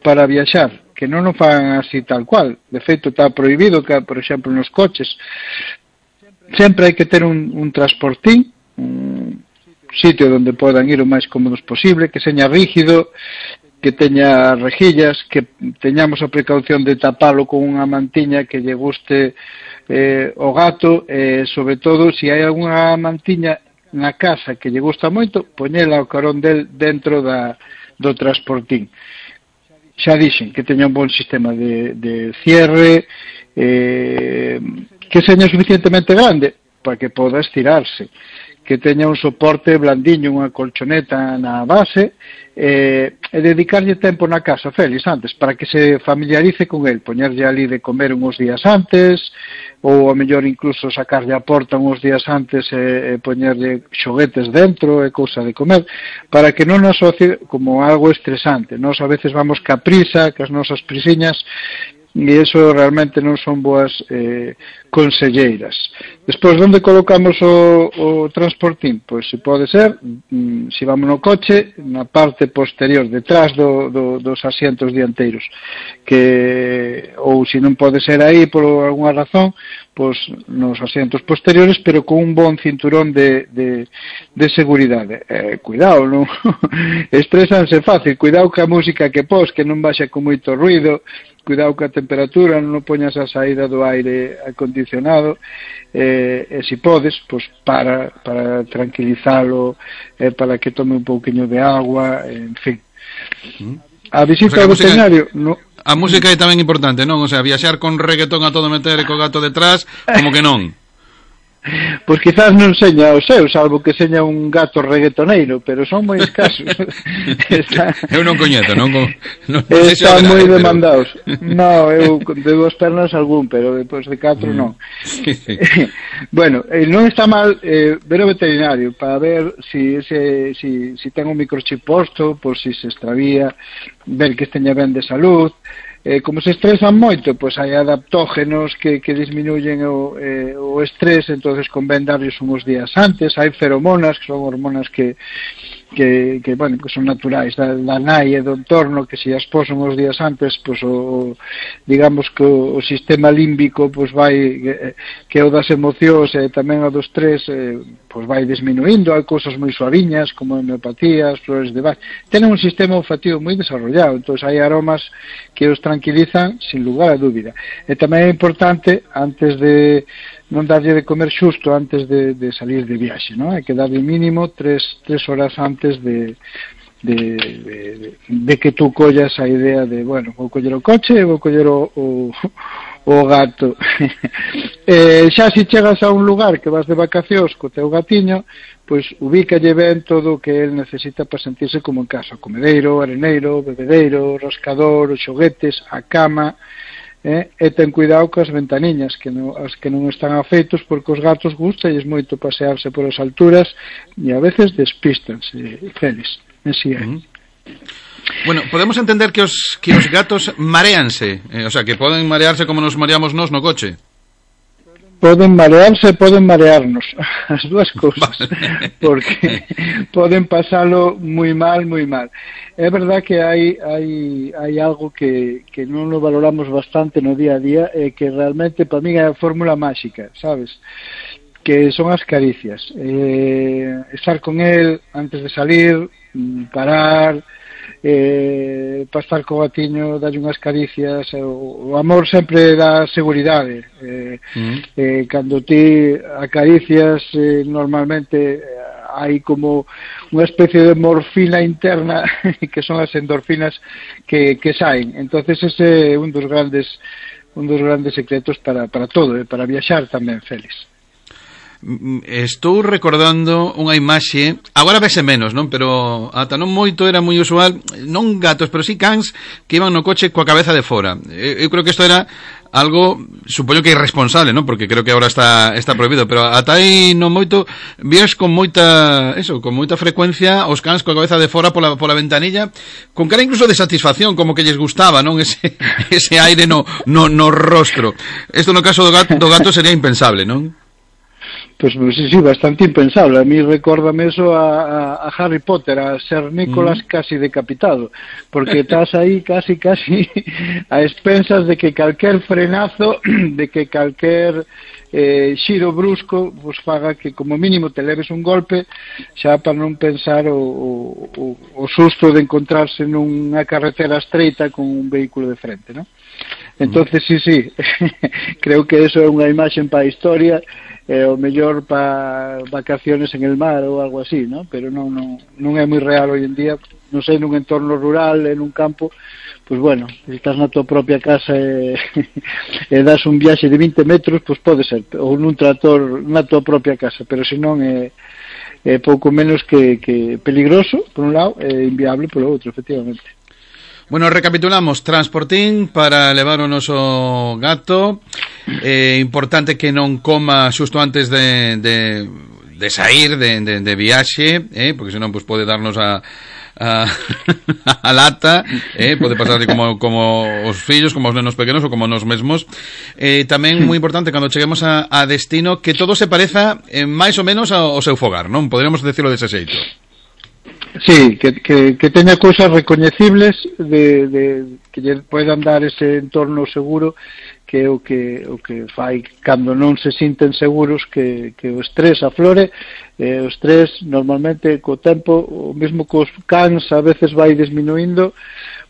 para viaxar, que non o fan así tal cual. De feito está prohibido que, por exemplo, nos coches sempre hai que ter un, un transportín, un sitio onde podan ir o máis cómodos posible, que seña rígido, que teña rejillas, que teñamos a precaución de tapalo con unha mantiña que lle guste eh, o gato, e eh, sobre todo, se hai algunha mantiña na casa que lle gusta moito, poñela ao carón del dentro da, do transportín. Xa dixen que teña un bon sistema de, de cierre, eh, que seña suficientemente grande para que poda estirarse, que teña un soporte blandiño, unha colchoneta na base, eh, e dedicarlle tempo na casa, Félix, antes, para que se familiarice con el, poñerlle ali de comer uns días antes, ou a mellor incluso sacarlle a porta uns días antes e, e poñerlle xoguetes dentro e cousa de comer, para que non asocie como algo estresante. Nos a veces vamos ca prisa, cas nosas prisiñas, e iso realmente non son boas eh, conselleiras. Despois, onde colocamos o, o transportín? Pois se pode ser, mm, se vamos no coche, na parte posterior, detrás do, do, dos asientos dianteiros, que ou se non pode ser aí por alguna razón, pois nos asientos posteriores, pero con un bon cinturón de, de, de seguridade. Eh, cuidado, non? Estresanse fácil, cuidado ca música que pos, que non baixa con moito ruido, cuidado ca temperatura, non poñas a saída do aire acondicionado, eh, e se podes, pois para, para tranquilizalo, eh, para que tome un pouquiño de agua, en fin. A visita ao veterinario... No, a música é tamén importante, non? O sea, viaxar con reggaetón a todo meter e co gato detrás, como que non. Pois quizás non seña o seu, salvo que seña un gato reggaetoneiro, pero son moi escasos. Está... Eu non coñeto, non? non, non Están moi demandados. Pero... No, eu de dúas pernas algún, pero depois de catro mm. non. Sí, sí. Bueno, eh, non está mal eh, ver o veterinario para ver si, si, si, si ten un microchip posto, por si se extravía, ver que esteña ben de salud. Eh, como se estresan moito, pois hai adaptógenos que, que disminuyen o, eh, o estrés, entonces convén darles uns días antes. Hai feromonas, que son hormonas que, que, que, bueno, que son naturais da, da nai e do entorno, que se as posan os días antes, pois o, digamos que o, o sistema límbico pois vai, que, que é o das emocións e tamén o dos tres, eh, pois vai disminuindo, hai cousas moi suaviñas como a homeopatía, as flores de Bach, tenen un sistema olfativo moi desarrollado, entón hai aromas que os tranquilizan sin lugar a dúbida. E tamén é importante, antes de non darlle de comer xusto antes de, de salir de viaxe, non? Hai que darlle mínimo tres, tres horas antes de, de, de, de que tú collas a idea de, bueno, vou coller o coche e vou coller o, o, o gato. eh, xa se chegas a un lugar que vas de vacacións co teu gatiño, pois ubícalle ben todo o que el necesita para sentirse como en casa, o comedeiro, o areneiro, o bebedeiro, o rascador, os xoguetes, a cama. Eh, e ten cuidado cas ventaniñas que non, as que non están afeitos, porque os gatos gustalles moito pasearse por as alturas e a veces despistanse, Félix, así é. Uh-huh. Bueno, podemos entender que os, que os gatos mareanse, eh, o sea, que poden marearse como nos mareamos nós no coche. Poden marearse, poden marearnos, as dúas cousas, porque poden pasalo moi mal, moi mal. É verdad que hai, hai, hai algo que, que non lo valoramos bastante no día a día e que realmente para mí é a fórmula máxica, sabes? Que son as caricias. Eh, estar con el antes de salir, parar, eh, para estar co gatiño, darlle unhas caricias, o, o amor sempre dá seguridade. Eh, mm. eh, cando ti acaricias, eh, normalmente hai como unha especie de morfina interna que son as endorfinas que, que saen. Entonces ese é un dos grandes un dos grandes secretos para, para todo, e para viaxar tamén, Félix. Estou recordando unha imaxe, agora vese menos, non? Pero ata non moito era moi usual, non gatos, pero sí cans que iban no coche coa cabeza de fora. Eu, eu creo que isto era algo, supoño que irresponsable, non? Porque creo que agora está está prohibido, pero ata aí non moito vías con moita, eso, con moita frecuencia os cans coa cabeza de fora pola pola ventanilla, con cara incluso de satisfacción, como que lles gustaba, non? Ese ese aire no no no rostro. Isto no caso do gato, do gato sería impensable, non? Pois pues, sí, sí, bastante impensable. A mí recórdame eso a, a, a Harry Potter, a Ser Nicolas mm. casi decapitado, porque estás aí casi, casi a expensas de que calquer frenazo, de que calquer eh, xiro brusco, pues faga que como mínimo te leves un golpe, xa para non pensar o, o, o susto de encontrarse nunha carretera estreita con un vehículo de frente, ¿no? Entonces, sí, sí, creo que eso é unha imaxe para a historia, eh, o mellor para vacaciones en el mar ou algo así, ¿no? Pero non, non, non é moi real hoy en día, non sei, nun entorno rural, en un campo, pues bueno, se estás na tua propia casa e, e das un viaxe de vinte metros, pues pode ser, ou nun tractor na tua propia casa, pero se non é, é pouco menos que, que peligroso, por un lado, e inviable polo outro, efectivamente. Bueno, recapitulamos, transportín para levar o noso gato, eh, importante que non coma xusto antes de, de, de sair de, de, de viaxe, eh, porque senón pues, pode darnos a, a, a lata, eh, pode pasar como, como os fillos, como os nenos pequenos ou como nos mesmos. Eh, tamén moi importante cando cheguemos a, a destino que todo se pareza eh, máis ou menos ao, ao seu fogar, non? Poderíamos decirlo dese xeito. Sí, que, que, que teña cousas recoñecibles de, de, que lle poidan dar ese entorno seguro, que é o que, o que fai cando non se sinten seguros, que, que o estrés aflore. Eh, o estrés normalmente co tempo, o mesmo cos cans a veces vai disminuindo,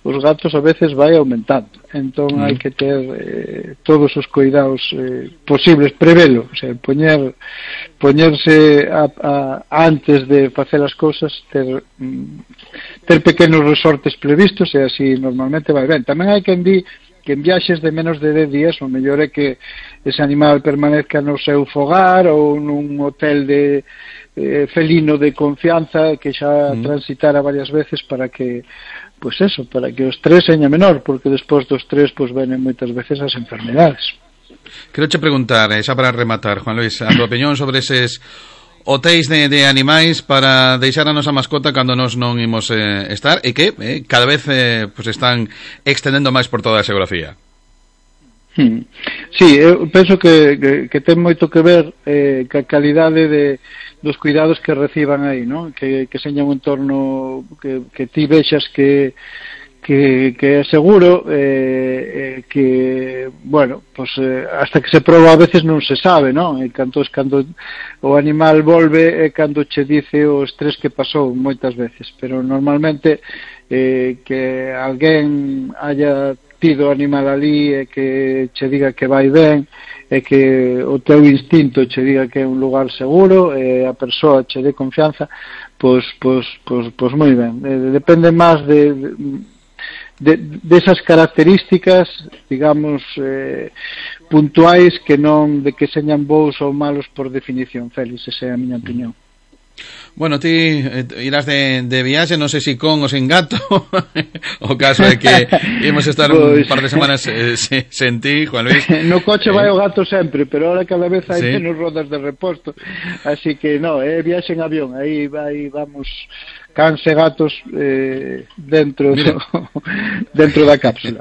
os gatos a veces vai aumentando. Entón mm. hai que ter eh, todos os cuidados eh, posibles, prevelo, o sea, poñer poñerse a, a, antes de facer as cousas, ter mm, ter pequenos resortes previstos, e así normalmente vai ben. Tamén hai quen di que en viaxes de menos de dez días o mellor é que ese animal permanezca no seu fogar ou nun hotel de eh, felino de confianza que xa mm. transitara varias veces, para que pues eso, para que o estrés seña menor, porque despois do estrés pues venen moitas veces as enfermedades. Quero che preguntar, xa para rematar, Juan Luis, a tua opinión sobre eses hotéis de, de animais para deixar a nosa mascota cando nos non imos eh, estar, e que eh, cada vez eh, pues están extendendo máis por toda a xeografía. Hmm. Sí, eu penso que, que, que ten moito que ver eh, que a calidade de, dos cuidados que reciban aí, ¿no? Que, que seña un entorno que, que ti vexas que que, que é seguro, eh, eh, que, bueno, pues eh, hasta que se proba a veces non se sabe, ¿no? E cando, cando o animal volve é cando che dice o estrés que pasou moitas veces, pero normalmente eh, que alguén haya tido animal ali e que che diga que vai ben e que o teu instinto che diga que é un lugar seguro e a persoa che dé confianza, pois, pois, pois, pois moi ben. Eh, depende máis de, de, de esas características, digamos, eh, puntuais que non de que señan bons ou malos por definición, Félix, esa é a miña opinión. Bueno, ti eh, irás de, de viaxe, non sei se con ou sen gato. O caso é que imos estar pues... un par de semanas eh, sen ti, Juan Luis. No coche vai o gato sempre, pero ahora cada vez hai ¿sí? menos rodas de reposto. Así que no, é eh, viaxe en avión, aí vai, vamos, cans e gatos eh, dentro do, dentro da cápsula.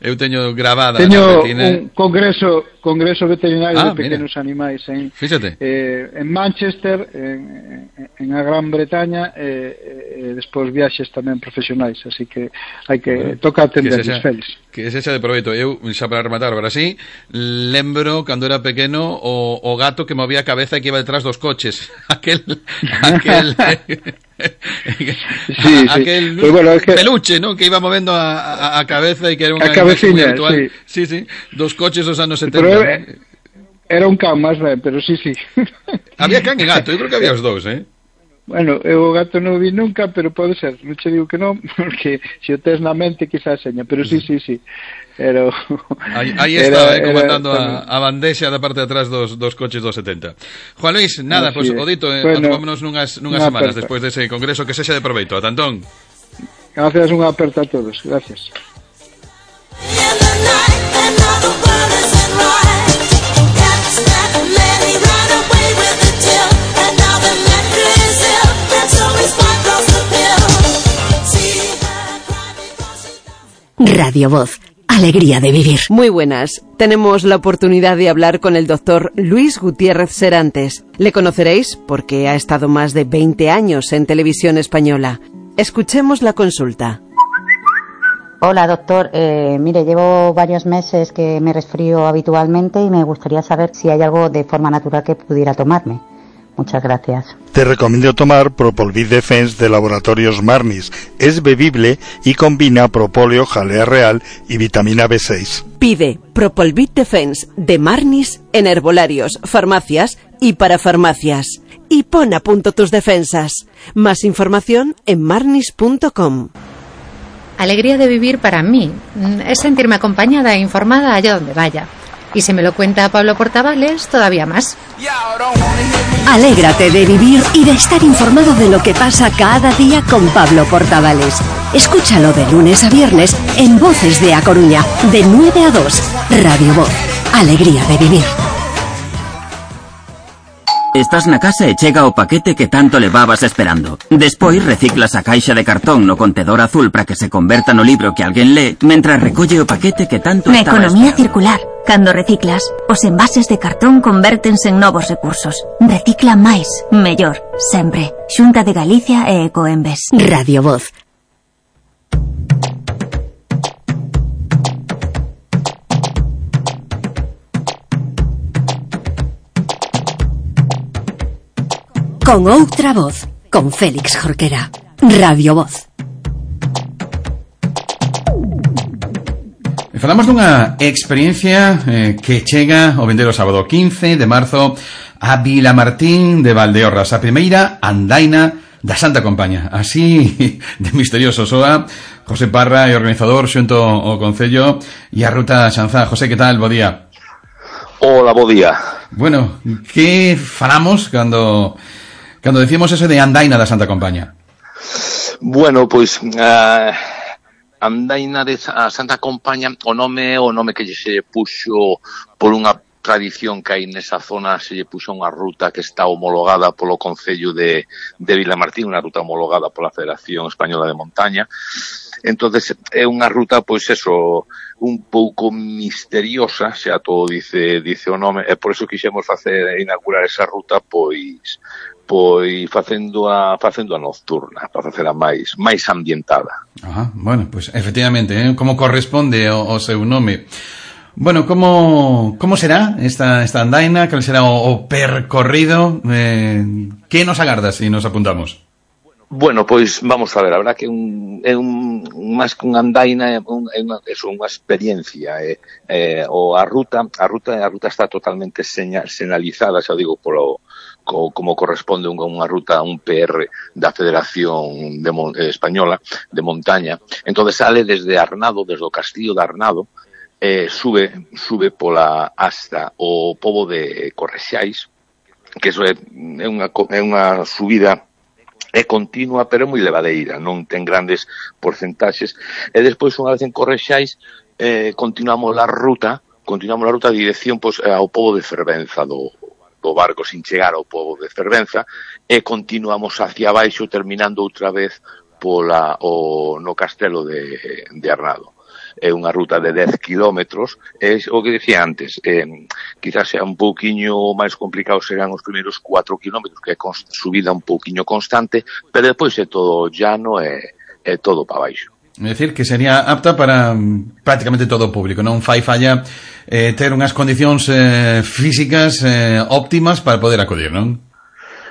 Eu teño grabada teño un congreso congreso veterinario ah, de pequenos mira. animais en, eh, en Manchester, en, en a Gran Bretaña, e eh, eh, despois viaxes tamén profesionais, así que hai que bueno, toca atenderles, Félix. Que se xa de proveito. Eu, xa para rematar, agora sí, lembro cando era pequeno o, o gato que movía a cabeza e que iba detrás dos coches. Aquel aquel sí, a, aquel sí. Pues bueno, es que... peluche, ¿no? Que iba movendo a, a, a cabeza e que era unha cabeciña, virtual. Sí. sí, sí, dos coches dos anos setenta. Pero era, era un can máis ben, pero sí, sí. Había can e gato, eu creo que había os dous, eh? Bueno, eu o gato non o vi nunca, pero pode ser, non che digo que non, porque se o tes na mente quizás seña, pero sí, sí, sí. Pero aí, aí está, era, eh, comandando era, a, a bandexa da parte de atrás dos, dos coches dos setenta. Juan Luis, nada, pois pues, o dito, eh, bueno, atomámonos nunhas, nunhas semanas aperta. Despois dese congreso, que sexa de proveito. A tantón. Gracias, unha aperta a todos. Gracias. Radio Voz, alegría de vivir. Muy buenas. Tenemos la oportunidad de hablar con el doctor Luis Gutiérrez Serantes. Le conoceréis porque ha estado más de veinte años en Televisión Española. Escuchemos la consulta. Hola, doctor. Eh, mire, llevo varios meses que me resfrío habitualmente y me gustaría saber si hay algo de forma natural que pudiera tomarme. Muchas gracias. Te recomiendo tomar Propolvid Defense de Laboratorios Marnis. Es bebible y combina propóleo, jalea real y vitamina B seis. Pide Propolvid Defense de Marnis en herbolarios, farmacias y para farmacias. Y pon a punto tus defensas. Más información en marnis punto com. Alegría de vivir para mí es sentirme acompañada e informada allá donde vaya. Y si me lo cuenta Pablo Portavales, todavía más. Alégrate de vivir y de estar informado de lo que pasa cada día con Pablo Portavales. Escúchalo de lunes a viernes en Voces de A Coruña, de nueve a dos. Radio Voz, alegría de vivir. Estás na casa e chega o paquete que tanto levabas esperando. Despois reciclas a caixa de cartón no contedor azul para que se converta no libro que alguén lee, mentras recolle o paquete que tanto na estaba economía esperando. Circular. Cando reciclas, os envases de cartón convértense en novos recursos. Recicla máis, mellor, sempre. Xunta de Galicia e Ecoembes. Radio Voz. Con outra voz, con Félix Jorquera. Radio Voz. Falamos dunha experiencia eh, que chega o vindeiro sábado quince de marzo a Vilamartín de Valdeorras, a primeira andaina da Santa Compaña. Así de misterioso soa José Parra e organizador xunto ao Concello e a Ruta Xanzá. José, que tal? Bo día. Hola, bo día. Bueno, que falamos cando cando decimos eso de andaina da Santa Compaña? Bueno, pois uh, andaina de a Santa Compaña, o nome o nome que se puxo por unha tradición que hai nesa zona, se lle puxo unha ruta que está homologada polo Concello de, de Vilamartín, unha ruta homologada pola Federación Española de Montaña. Entonces é unha ruta, pois eso, un pouco misteriosa, xa todo dice dice o nome, e por eso quixemos facer inaugurar esa ruta, pois pois facendo a facendo a nocturna, para facela máis máis ambientada. Ajá, bueno, pois pues, efectivamente, eh, como corresponde o, o seu nome. Bueno, como como será esta esta andaina? Cal será o, o percorrido? Eh, que nos agarda se si nos apuntamos? Bueno, pois vamos a ver, a verdad que un, é un, máis que unha andaina, é un, é unha, é unha experiencia, é, é, o a ruta, a ruta, a ruta está totalmente señal, señalizada, xa digo, polo, co, como corresponde unha, unha ruta, un P R da Federación de, eh, Española de Montaña. Entonces sale desde Arnado, desde o Castillo de Arnado, eh, sube, sube pola hasta o pobo de Correxais, que eso é, é unha, é unha subida é continua, pero é moi levadeira, non ten grandes porcentaxes, e despois, unha vez en Correxais, eh, continuamos a ruta, continuamos a ruta de dirección pois, ao pobo de Fervenza, do, do barco, sin chegar ao pobo de Fervenza, e continuamos hacia baixo, terminando outra vez pola, o, no castelo de, de Arnado. É unha ruta de dez kilómetros, é o que dicía antes, eh, quizás sea un pouquiño máis complicado serán os primeiros cuatro kilómetros, que é subida un pouquiño constante, pero depois é todo llano e é todo para baixo. É dicir, que sería apta para prácticamente todo o público, non fai falla eh, ter unhas condicións eh, físicas eh, óptimas para poder acudir, non?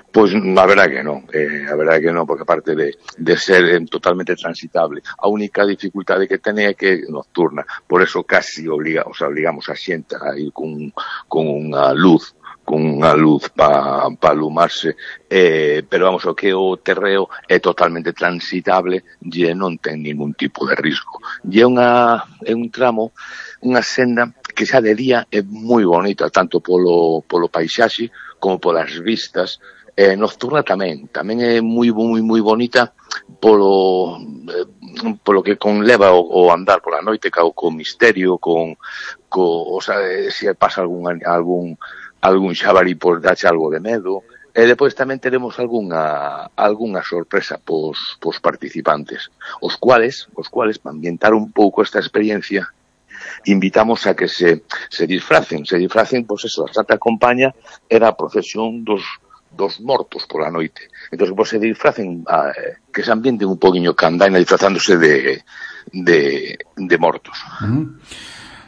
Pois a verdade que non, eh, a verdade que non, porque aparte de, de ser eh, totalmente transitable, a única dificultade que ten é que é nocturna, por eso casi obliga, o sea, obligamos a xente a ir con, con unha luz, con unha luz para pa alumarse, eh, pero vamos, o que o terreo é totalmente transitable e non ten ningún tipo de risco. E é, unha, é un tramo, unha senda que xa de día é moi bonita, tanto polo, polo paisaxe como polas vistas. Eh, nocturna tamén, tamén é moi moi moi bonita polo eh, polo que conleva o, o andar pola noite, co, co misterio, con co, o sea, eh, se pasa algún algún algún xabarí por dache algo de medo, e depois tamén teremos algunha algunha sorpresa pos pos participantes, os cuales, os cuales para ambientar un pouco esta experiencia invitamos a que se se disfracen, se disfracen, pois pues eso, a Santa Compaña era a procesión dos dos mortos pola noite. Entón, pues, se disfracen, a, que se ambienten un poquinho candaina disfrazándose de, de, de mortos. Uh-huh.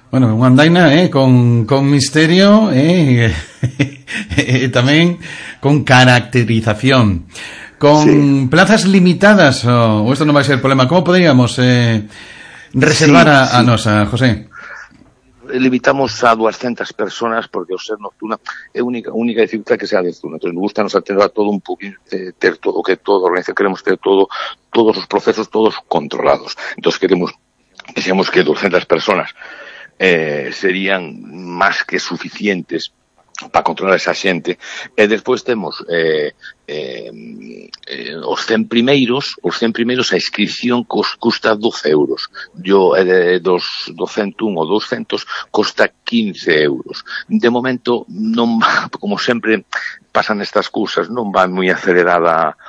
Bueno, unha andaina, eh, con, con misterio, eh, e tamén con caracterización. Con sí. Plazas limitadas, o, o isto non vai ser problema. Como poderíamos eh, reservar sí, a, a sí. nosa, José? Limitamos a doscientas personas porque o ser nocturna é única única dificultad que sea nocturna. Entonces, nos gusta nos atender a todo un poquinho, eh, ter todo que todo organizado, queremos ter todo todos os procesos todos controlados. Entonces, queremos decíamos que doscientas personas eh, serían máis que suficientes para controlar esa xente, e despois temos eh, eh, eh, os cen primeiros, os cen primeiros a inscripción cos, custa doce euros, yo eh, dos, dos ciento un ou doscientos costa quince euros. De momento non va, como sempre pasan estas cousas, non va moi acelerada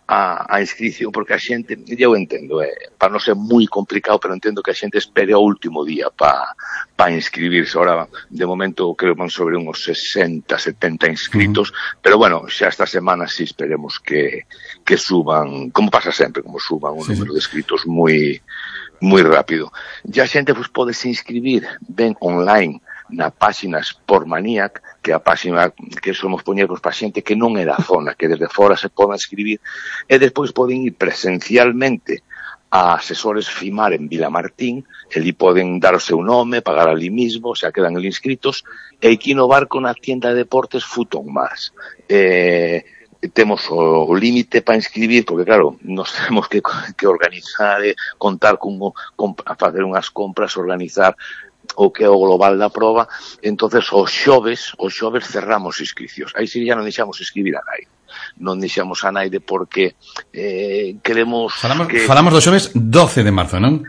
a, a inscripción, porque a xente, eu entendo, eh, para non ser moi complicado, pero entendo que a xente espere o último día para pa inscribirse. Ahora, de momento, creo que van sobre uns sesenta, setenta inscritos, uh-huh. Pero bueno, xa esta semana sí esperemos que, que suban, como pasa sempre, como suban un sí, número sí. de inscritos moi moi rápido. E a xente pues, pode se inscribir ben online na páxina Sportmaniac, que é a páxina que somos poñer para xente que non é da zona, que desde fora se poden escribir, e despois poden ir presencialmente a asesores FIMAR en Vilamartín, ali poden dar o seu nome, pagar ali mismo, xa quedan ali inscritos, e aquí no barco na tienda de deportes Futon Más. Eh, temos o, o límite para inscribir, porque claro, nos temos que, que organizar, eh, contar con, con a facer unhas compras, organizar o que é o global da proba. Entonces os xoves, os xoves cerramos inscripcións. Aí sí ya non deixamos inscribir a nai. Non deixamos a naide porque eh, queremos falamos, que... falamos do xoves doce de marzo, non?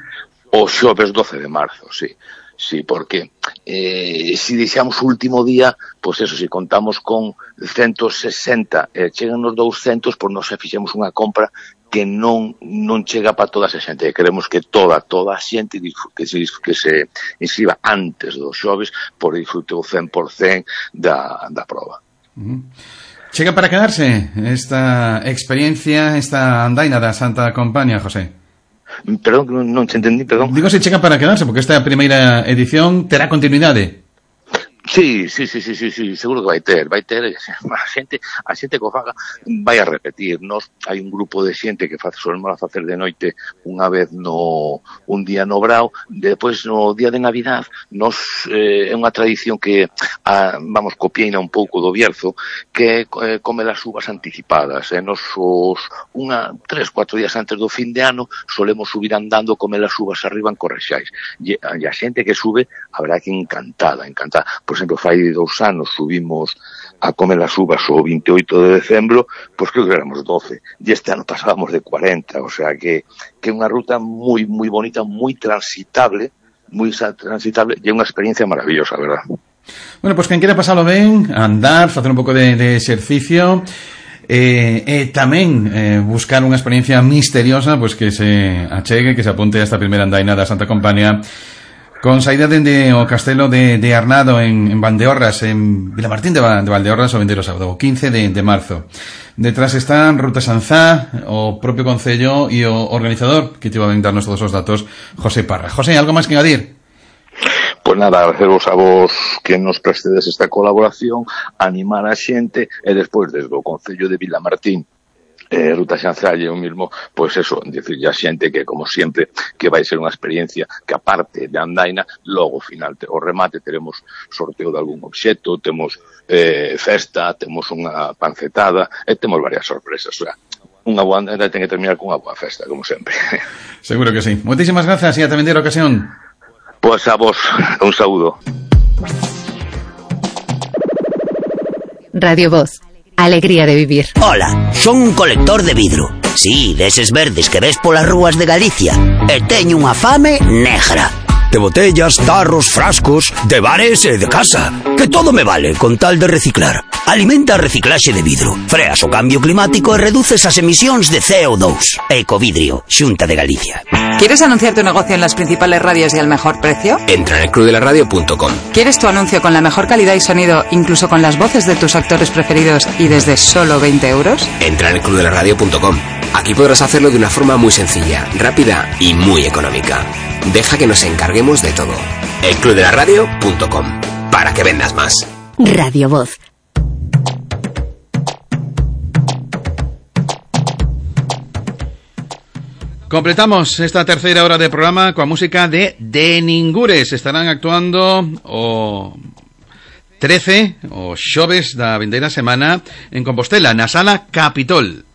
O xoves doce de marzo, sí. Sí, porque eh, si deixamos o último día, pois eso, se contamos con ciento sesenta e eh, chegan nos douscentos, pois nos fixemos unha compra que non non chega para toda esa xente. Queremos que toda, toda a xente que se, que se inscriba antes dos xoves por disfrute o cen por cen da, da proba. Uh-huh. Chega para quedarse esta experiencia, esta andaina da Santa Compaña, José? Perdón, non, non te entendí, perdón. Digo se chega para quedarse, porque esta primeira edición terá continuidade. Sí, sí, sí, sí, sí, sí, seguro que vai ter, vai ter, a xente, a xente que o faga vai a repetir. Nos hai un grupo de xente que fa, solemos a facer de noite unha vez no un día no Brao, depois no día de Navidad, nos eh, é unha tradición que a, vamos, copiaina un pouco do Bierzo, que é eh, comer as uvas anticipadas. Eh, nos os unha, tres, cuatro días antes do fin de ano solemos subir andando, comer as uvas arriba en Correxais. E, e a xente que sube, a verdade que encantada, encantada. Por exemplo, fai dous anos subimos a comer as uvas o veintioito de decembro, pois creo que éramos doce, e este ano pasábamos de cuarenta, o sea que que é unha ruta moi moi bonita, moi transitable, moi transitable, e é unha experiencia maravillosa, verdad? Bueno, pois quen quera pasalo ben, andar, facer un pouco de, de exercicio, e eh, eh, tamén eh, buscar unha experiencia misteriosa, pois que se achegue, que se apunte a esta primeira andaina da Santa Compaña, con saída dende o castelo de, de Arnado en, en Valdeorras, en Vilamartín de, de Valdeorras, o vindeiro sábado, o quince de, de marzo. Detrás están Ruta Sanzá, o propio Concello e o organizador, que te va a darnos todos os datos, José Parra. José, algo máis que engadir? Pois nada, agradeceros a vos que nos prestedes esta colaboración, animar a xente, e despois desde o Concello de Vilamartín, Eh, Ruta Xanzá e o mismo, pois eso, dicirlle a xente que, como sempre, que vai ser unha experiencia que, aparte de andaina, logo, ao final, o remate, teremos sorteo de algún obxecto, temos eh, festa, temos unha pancetada, e temos varias sorpresas, o sea, unha boa andaina ten que terminar con unha boa festa, como sempre. Seguro que sí. Moitísimas grazas e ata vindeira ocasión. Pois a vos, un saúdo. Radio Voz. Alegría de vivir. Hola, son un colector de vidro. Sí, deses verdes que ves polas rúas de Galicia. E teño unha fame negra. De botellas, tarros, frascos, de bares e de casa. Que todo me vale con tal de reciclar. Alimenta a reciclaxe de vidro. Freas o cambio climático e reduces as emisións de C O dos. Ecovidrio, Xunta de Galicia. ¿Quieres anunciar tu negocio en las principales radios y al mejor precio? Entra en el club de la radio punto com. ¿Quieres tu anuncio con la mejor calidad y sonido, incluso con las voces de tus actores preferidos y desde solo veinte euros? Entra en el club de la radio punto com. Aquí podrás hacerlo de una forma muy sencilla, rápida y muy económica. Deja que nos encarguemos de todo. el club de la radio punto com. Para que vendas más. Radio Voz. Completamos esta terceira hora de programa coa música de De Ningures. Estarán actuando o trece, o xoves da vindeira semana, en Compostela, na Sala Capitol.